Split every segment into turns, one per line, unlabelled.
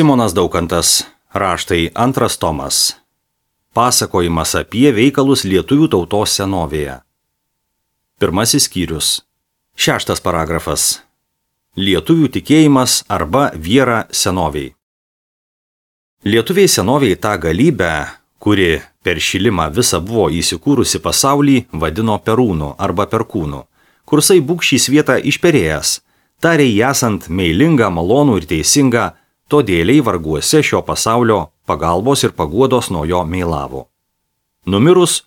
Simonas Daukantas, raštai 2 tomas. Pasakojimas apie veikalus lietuvių tautos senovėje. 1 skyrius. 6 paragrafas. Lietuvių tikėjimas arba viera senoviai. Lietuviai senoviai tą galybę, kuri per šilimą visą buvo įsikūrusi pasaulį, vadino Perūnu arba Perkūnu. Kursai būk šį svietą išperėjęs, tarė jį esant meilingą, malonų ir teisingą, todėliai varguose šio pasaulio pagalbos ir paguodos nuo jo meilavo. Numirus,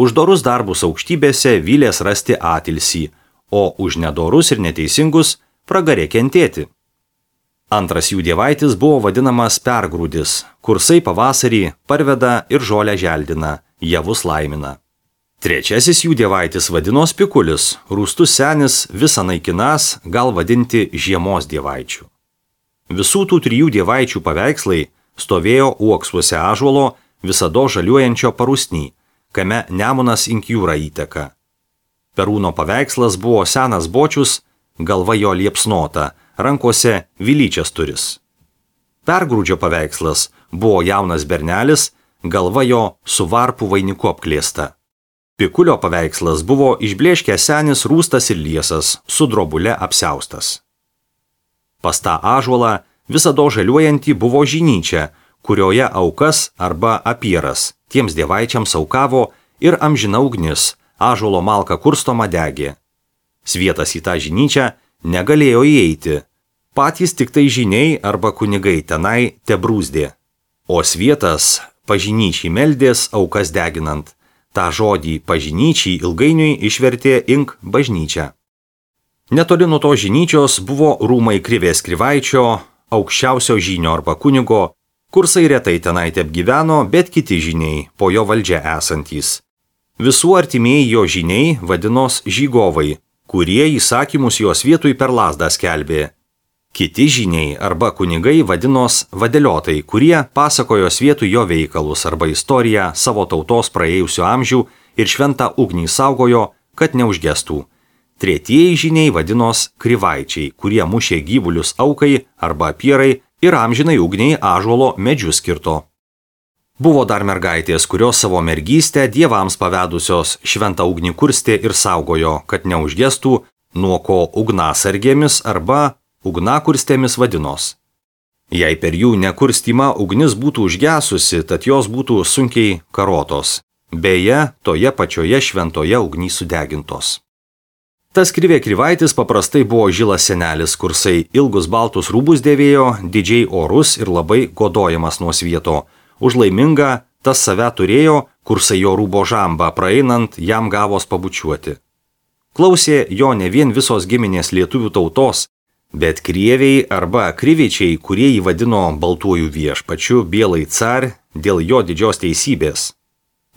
už dorus darbus aukštybėse vylės rasti atilsį, o už nedorus ir neteisingus pragarė kentėti. Antras jų dievaitis buvo vadinamas Pergrūdis, kursai pavasarį parveda ir žolę želdina, javus laimina. Trečiasis jų dievaitis vadinos Pikulis, rūstus senis, visą naikinas, gal vadinti žiemos dievaičių. Visų tų 3 dievaičių paveikslai stovėjo uoksuose ąžuolo visado žaliuojančio parusny, kame Nemunas Inkjūra įteka. Perūno paveikslas buvo senas bočius, galva jo liepsnota, rankose vilyčias turis. Pergrūdžio paveikslas buvo jaunas bernelis, galva jo su varpų vainiku apklėsta. Pikulio paveikslas buvo išblėškęs senis, rūstas ir liesas, su drobule apsiaustas. Pas tą ąžuolą visado žaliuojantį buvo žinyčia, kurioje aukas arba apieras tiems dievaičiams aukavo ir amžina ugnis, ąžuolo malka kurstoma degė. Svietas į tą žinyčią negalėjo įeiti, patys tik tai žyniai arba kunigai tenai tebrūzdė, o svietas pažinyčiai meldės aukas deginant. Ta žodį pažinyčiai ilgainiui išvertė ink bažnyčia. Netoli nuo to žinyčios buvo rūmai Krivės Krivaičio, aukščiausio žynio arba kunigo, kursai retai tenai teapgyveno, bet kiti žyniai, po jo valdžia esantys. Visų artimieji jo žyniai vadinos žygovai, kurie įsakymus jos vietui per lazdą skelbė. Kiti žyniai arba kunigai vadinos vadeliotai, kurie pasakojo vietui jo veikalus arba istoriją savo tautos praėjusių amžių ir šventą ugnį saugojo, kad neužgestų. Tretieji žyniai vadinos krivaičiai, kurie mušė gyvulius aukai arba apierai ir amžinai ugniai ąžuolo medžius kirto. Buvo dar mergaitės, kurios savo mergystę dievams pavedusios šventą ugnį kurstė ir saugojo, kad neužgestų, nuo ko ugnasargėmis arba ugnakurstėmis vadinos. Jei per jų nekurstymą ugnis būtų užgesusi, tad jos būtų sunkiai karotos. Beje, toje pačioje šventoje ugny sudegintos. Tas Krivė Krivaitis paprastai buvo žilas senelis, kursai ilgus baltus rūbus dėvėjo, didžiai orus ir labai godojamas nuo svieto. Už laimingą tas save turėjo, kursai jo rūbo žambą praeinant jam gavos pabučiuoti. Klausė jo ne vien visos giminės lietuvių tautos, bet krieviai arba krivičiai, kurie jį vadino baltuoju viešpačiu, bielai car, dėl jo didžios teisybės.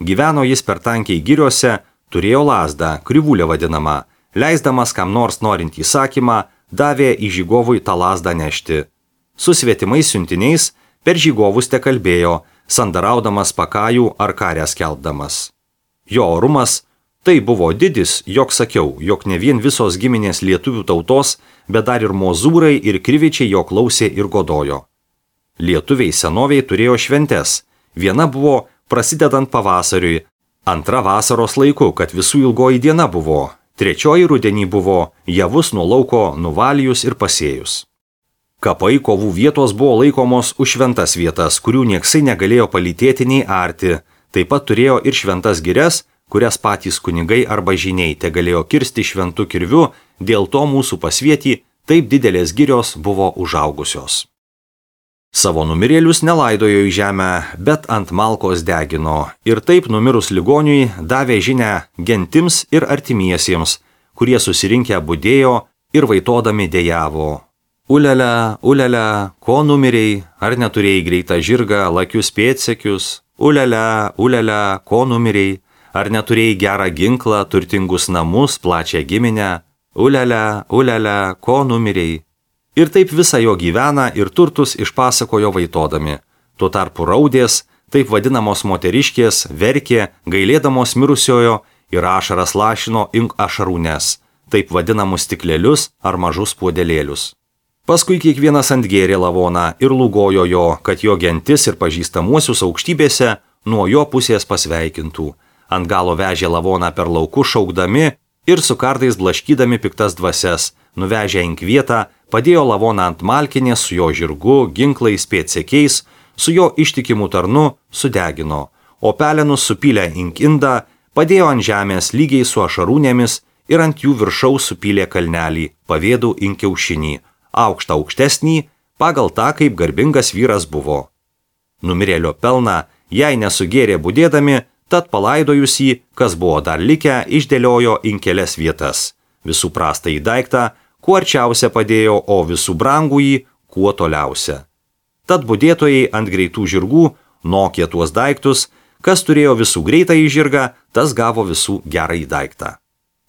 Gyveno jis per tankiai giriose, turėjo lazdą, krivulę vadinamą, leisdamas kam nors norint įsakymą, davė į žygovui tą lazdą nešti. Su svetimais siuntiniais per žygovus te kalbėjo, sandaraudamas pakajų ar karę skelbdamas. Jo orumas tai buvo didis, jog sakiau, jog ne vien visos giminės lietuvių tautos, bet dar ir mozūrai ir krivičiai jo klausė ir godojo. Lietuviai senoviai turėjo šventes. Viena buvo prasidedant pavasariui, antra vasaros laiku, kad visų ilgoji diena buvo, trečioji rudenį buvo javus nuo lauko nuvalijus ir pasėjus. Kapai kovų vietos buvo laikomos už šventas vietas, kurių nieksai negalėjo palytėti nei arti, taip pat turėjo ir šventas girias, kurias patys kunigai arba žyniai te galėjo kirsti šventu kirviu, dėl to mūsų pasvietį taip didelės girios buvo užaugusios. Savo numirėlius nelaidojo į žemę, bet ant malkos degino ir taip numirus ligoniui davė žinią gentims ir artimiesiems, kurie susirinkę budėjo ir vaitodami dejavo. Ulele, ulele, ko numiriai, ar neturėjai greitą žirgą, lakius pėdsekius? Ulele, ulele, ko numiriai, ar neturėjai gerą ginklą, turtingus namus, plačią giminę? Ulele, ulele, ko numiriai? Ir taip visą jo gyveną ir turtus išpasakojo vaitodami. Tuo tarpu raudės, taip vadinamos moteriškės, verkė, gailėdamos mirusiojo ir ašaras lašino ink ašarūnes, taip vadinamus stiklelius ar mažus puodelėlius. Paskui kiekvienas antgėrė lavoną ir lūgojo jo, kad jo gentis ir pažįstamuosius aukštybėse nuo jo pusės pasveikintų. Ant galo vežė lavoną per laukus šaukdami ir su kardais blaškydami piktas dvasias, nuvežę inkvietą, padėjo lavoną ant malkinės su jo žirgu, ginklais, pėdsekiais, su jo ištikimu tarnu sudegino, o pelenus supylę inkindą, padėjo ant žemės lygiai su ašarūnėmis ir ant jų viršaus supylė kalnelį, pavėdų inkiaušinį, aukštą aukštesnį, pagal tą, kaip garbingas vyras buvo. Numirėlio pelną, jei nesugėrė budėdami, tad palaidojus jį, kas buvo dar likę, išdėliojo in kelias vietas. Visų prastą į daiktą, kuo arčiausia padėjo, o visų brangų jį, kuo toliausia. Tad budėtojai ant greitų žirgų nokė tuos daiktus, kas turėjo visų greitą į žirgą, tas gavo visų gerą į daiktą.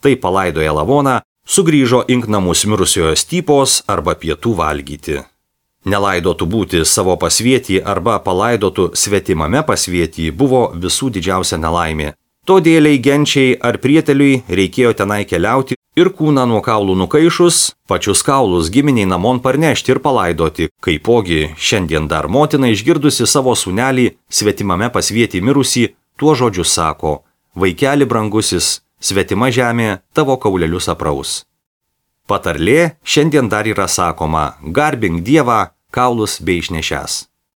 Tai palaidoja lavoną, sugrįžo ink namus mirusiojo stypos arba pietų valgyti. Nelaidotų būti savo pasvietį arba palaidotų svetimame pasvietį buvo visų didžiausia nelaimė. Todėliai genčiai ar prieteliui reikėjo tenai keliauti ir kūną nuo kaulų nukaišus, pačius kaulus giminiai namon parnešti ir palaidoti. Kaipogi šiandien dar motina išgirdusi savo sūnelį svetimame pasvietį mirusį, tuo žodžiu sako: vaikeli brangusis, svetima žemė tavo kaulelius apraus. Patarlė šiandien dar yra sakoma: garbink Dievą, kaulus bei išnešęs.